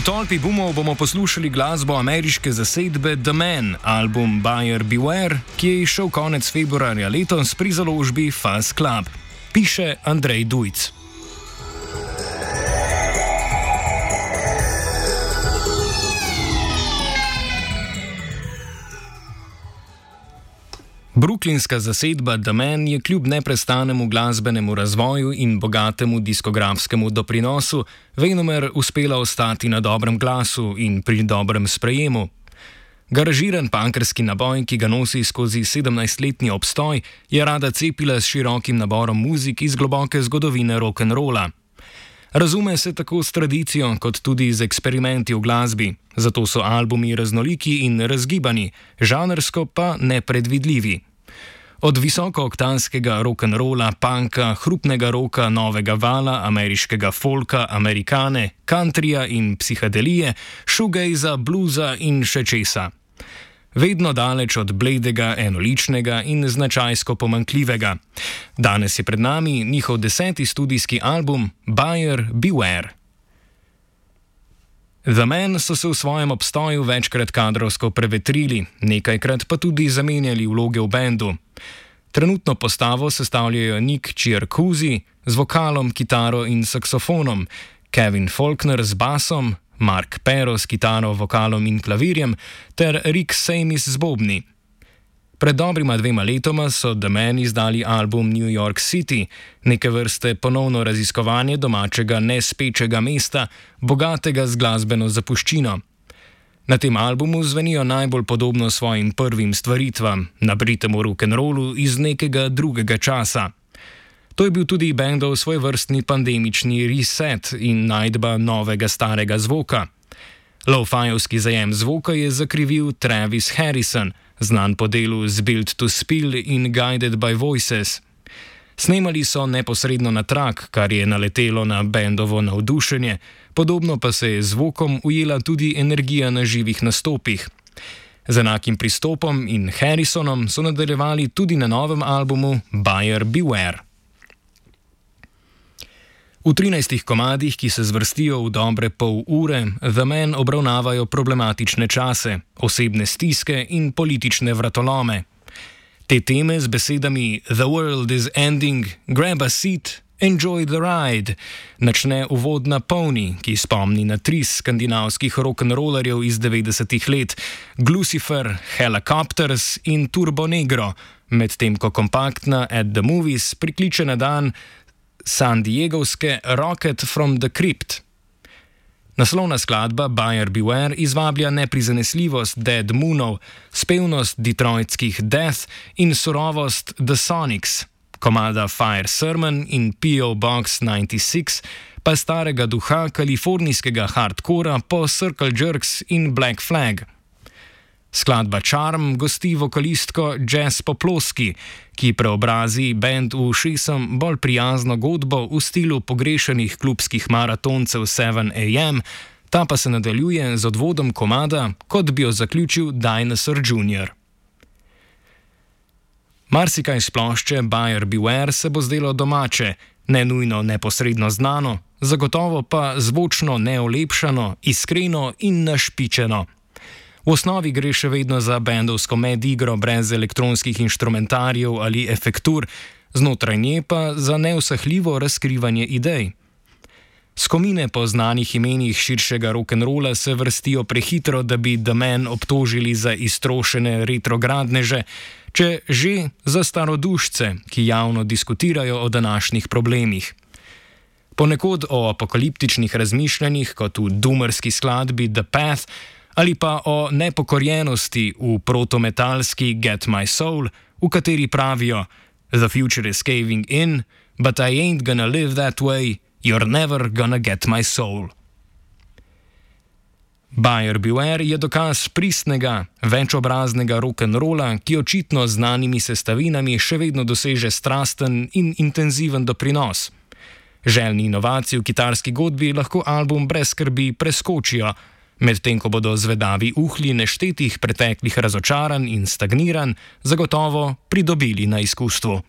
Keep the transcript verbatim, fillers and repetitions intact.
tolpi boomov bomo poslušali glasbo ameriške zasedbe The Man, album Buyer Beware, ki je izšel konec februarja letos pri založbi Fuzz Club. Piše Andrej Dujc. Brooklynska zasedba The Man je kljub neprestanemu glasbenemu razvoju in bogatemu diskografskemu doprinosu venomer uspela ostati na dobrem glasu in pri dobrem sprejemu. Garažiran punkerski naboj, ki ga nosi skozi sedemnajstletni obstoj, je rada cepila s širokim naborom muzik iz globoke zgodovine rock'n'rolla. Razume se tako s tradicijo, kot tudi z eksperimenti v glasbi, zato so albumi raznoliki in razgibani, žanrsko pa nepredvidljivi. Od visokooktanskega rock'n'rolla, punka, hrupnega roka, novega vala, ameriškega folka, amerikane, countryja in psihadelije, shoegaza, bluza in še česa. Vedno daleč od bledega, enoličnega in značajsko pomanjkljivega. Danes je pred nami njihov deseti studijski album Buyer Beware. The Man so se v svojem obstoju večkrat kadrovsko prevetrili, nekajkrat pa tudi zamenjali vloge v bendu. Trenutno postavo sestavljajo Nick Ciarcusi z vokalom, kitaro in saksofonom, Kevin Faulkner z basom, Mark Pero s kitaro, vokalom in klavirjem ter Rick Samis z bobni. Pred dobrima dvema letoma so The Man izdali album New York City, neke vrste ponovno raziskovanje domačega nespečega mesta, bogatega z glasbeno zapuščino. Na tem albumu zvenijo najbolj podobno svojim prvim stvaritvam, nabritemu rock'n'rollu iz nekega drugega časa. To je bil tudi bendov svojvrstni pandemični reset in najdba novega starega zvoka. Lo-fajovski zajem zvoka je zakrivil Travis Harrison, znan po delu z Built to Spill in Guided by Voices. Snemali so neposredno na trak, kar je naletelo na bendovo navdušenje, podobno pa se je zvokom ujela tudi energija na živih nastopih. Z enakim pristopom in Harrisonom so nadaljevali tudi na novem albumu Buyer Beware. V trinajstih komadih, ki se zvrstijo v dobre pol ure, The Man obravnavajo problematične čase, osebne stiske in politične vratolome. Te teme z besedami "The world is ending, grab a seat, enjoy the ride" načne uvodna Pony, ki spomni na tris skandinavskih rock'n'rollerjev iz devetdesetih let, Glucifer, Helicopters in Turbo Negro, medtem ko kompaktna At the Movies prikliče na dan San Diegovske Rocket from the Crypt. Naslovna skladba Buyer Beware izvablja neprizanesljivost Dead Moonov, spevnost detroitskih Death in surovost The Sonics, komada Fire Sermon in P O Box devetdeset šest pa starega duha kalifornijskega hardcora po Circle Jerks in Black Flag. Skladba Charm gosti vokalistko Jess Poploski, ki preobrazi bend v šesem bolj prijazno godbo v stilu pogrešanih klubskih maratoncev sedem A M, ta pa se nadaljuje z odvodom komada, kot bi jo zaključil Dinosaur junior Marsikaj s plošče Buyer Beware se bo zdelo domače, ne nujno neposredno znano, zagotovo pa zvočno neolepšano, iskreno in našpičeno. V osnovi gre še vedno za bendovsko medigro brez elektronskih inštrumentarjev ali efektur, znotraj nje pa za neusahljivo razkrivanje idej. Skomine po znanih imenih širšega rock'n'rolla se vrstijo prehitro, da bi The Man obtožili za iztrošene retrogradneže, če že za starodušce, ki javno diskutirajo o današnjih problemih. Ponekod o apokaliptičnih razmišljanjih, kot v doomerski skladbi The Path, ali pa o nepokorjenosti v protometalski Get My Soul, v kateri pravijo "The future is caving in, but I ain't gonna live that way, you're never gonna get my soul." Buyer Beware je dokaz pristnega, večobraznega rock'n'rolla, ki očitno z znanimi sestavinami še vedno doseže strasten in intenziven doprinos. Željni inovacij v kitarski godbi lahko album brez skrbi preskočijo, medtem ko bodo zvedavi uhlji neštetih preteklih razočaranj in stagniranj zagotovo pridobili na izkustvu.